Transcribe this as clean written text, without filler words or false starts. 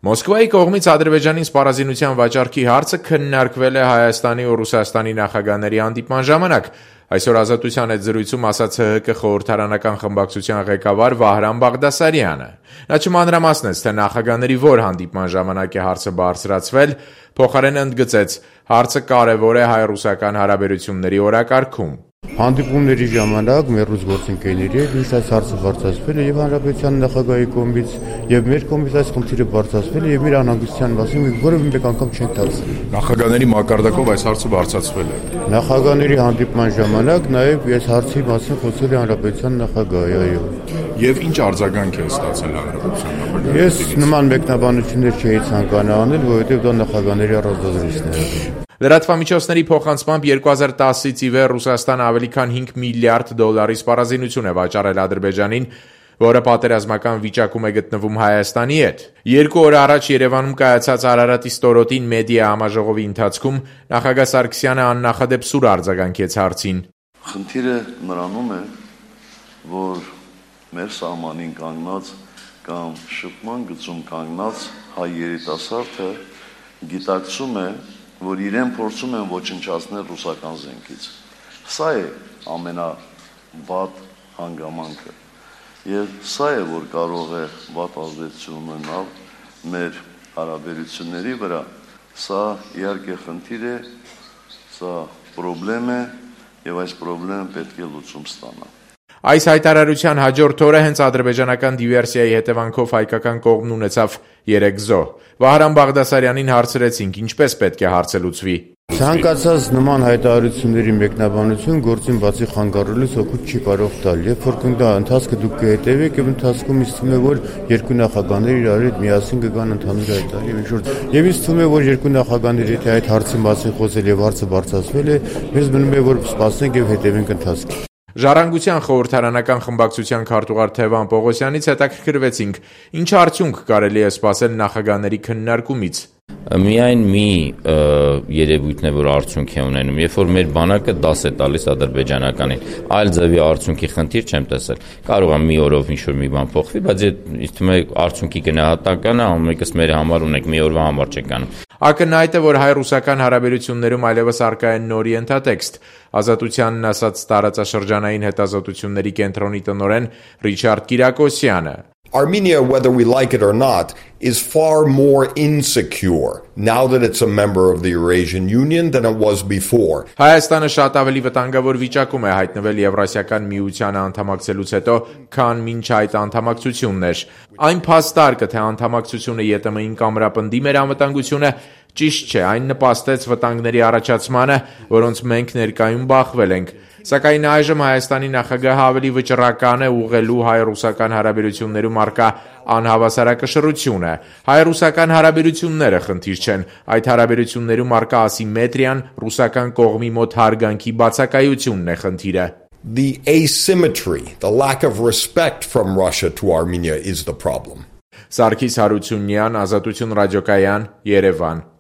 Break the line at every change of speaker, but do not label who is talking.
Մոսկվայի կողմից Ադրբեջանին սպառազինության վաճառքի հարցը քննարկվել է Հայաստանի ու Ռուսաստանի նախագահների հանդիպման ժամանակ։ Այսօր Ազատության հետ զրույցում ասաց ՀՀԿ խորհրդարանական խմբակցության ղեկավար Վահրամ Բաղդասարյանը։ Նա չմանրամասնեց, թե նախագահների որ հանդիպման ժամանակ է հարցը բարձրացվել, փոխարեն ընդգծեց, հարցը կարևոր է հայ-ռուսական հարաբերությունների օրակարգում։
Հանդիպումների ժամանակ մեր ռուս գործընկերների հետ միշտ այս հարցը բարձրացվել է եւ հանրապետության նախագահի կողմից եւ մեր կողմից այս խնդիրը բարձրացվել է եւ մեր անհանգստության մասին որևէ մեկ անգամ չեն տալիս։
Նախագահների մակարդակով այս հարցը բարձրացվել է։
Նախագահների հանդիպման ժամանակ նաեւ այս հարցի մասին խոսել է հանրապետության նախագահը, այո։
Եվ ինչ արձագանք է ստացել հանրապետության նախագահը։
Ես նման մեկնաբանություններ չէի ցանկանում անել, որովհետեւ դա նախագահների առանձնացումն է։
Լրատվամիջոցների փոխանցմամբ 2010-ից ի վեր Ռուսաստանը ավելի քան $5 միլիարդ սպառազինություն է վաճառել Ադրբեջանին, որը պատերազմական վիճակում է գտնվում Հայաստանի հետ։ 2 օր առաջ Երևանում կայացած Արարատի ստորոտին մեդիա համաժողովի ընթացքում նախագահ Սարգսյանը աննախադեպ սուր արձագանքեց հարցին։
Խնդիրը նրանում է, որ մեր սահմանին կանգնած կամ շփման գծում կանգնած հայ երիտասարդը գիտակցում է, որ իրեն փորձում են ոչնչացնել ռուսական զենքից։ Սա է ամենավատ հանգամանքը։ Եվ սա է, որ կարող է վատ ազդեցություն ունենալ մեր հարաբերությունների վրա։ Սա իհարկե խնդիր է, սա պրոբլեմ է, եւ այս պրոբլեմը պետք է լուծում ստանա։
Այս հայտարարության հաջորդ օրը հենց ադրբեջանական դիվերսիայի հետևանքով հայկական կողմն ունեցավ 3 զոհ։ Վահրամ Բաղդասարյանին հարցրեցինք, ինչպես պետք է հարցը լուծվի։
Ցանկացած նման հայտարարությունների մեկնաբանություն գործին բացի խանգարելուց օգուտ չի կարող տալ։ Երբ որ կգնա ընթացքը դուք կհետևեք եւ ընթացքում ինձ թվում է, որ երկու նախագահները իրար հետ միասին կգան ընդհանուր հայտարարի եւ ինձ թվում է, որ երկու նախագահները եթե այդ հարցի մասին խոսել եւ հարցը բարձրացվել է, մեզ մնում է, որ սպասենք եւ հետևենք ընթացքին։
Ժառանգության խորհրդարանական խմբակցության քարտուղար Թևան Պողոսյանից հետաքրքրվեցինք, ինչ արդյունք կարելի է սպասել նախագահների քննարկումից։
Միայն մի երևույթն է, որ արդյունք է ունենում, երբ որ մեր բանակը դաս է տալիս ադրբեջանականին, այլ ձևի արդյունքի խնդիր չեմ տեսել։ Կարող է մի օրով ինչ-որ մի բան փոխվի, բայց ինձ թվում է արդյունքի գնահատականը ամենից մեր համար ունենք, մի օրվա համար չենք անում։
Ակնհայտ է, որ հայ-ռուսական հարաբերություններում այլևս առկա է նոր ենթատեքստ։ Ազատությանն ասաց տարածաշրջանային հետազոտությունների կենտրոնի տնօրեն Ռիչարդ Կիրակոսյանը։
Armenia, whether we like it or not, is far more insecure now that it's a member of the Eurasian Union than it was before.
Հայաստանը շատ ավելի վտանգավոր վիճակում է հայտնվել Եվրասիական միությանը անդամակցելուց հետո, քան մինչ այդ անդամակցությունն էր։ Այն փաստարկը, թե անդամակցությունը ԵՏՄ-ին կամրապնդի մեր անվտանգությունը, ճիշտ չէ, այն նպաստեց վտանգների առաջացմանը, որոնց մենք ներկայում բախվել ենք։ Սակայն այժմ Հայաստանի նախագահը ավելի վճռական է ուղղելու հայ-ռուսական հարաբերություններում առկա անհավասարակշռությունը։ Հայ-ռուսական հարաբերությունները խնդիր չեն, այդ հարաբերություններում առկա ասիմետրիան, ռուսական կողմի մոտ հարգանքի բացակայությունն է խնդիրը։
The asymmetry, the lack of respect from Russia to Armenia is the problem.
Սարգիս Հարությունյան, Ազատություն ռադիոկայան, Երևան։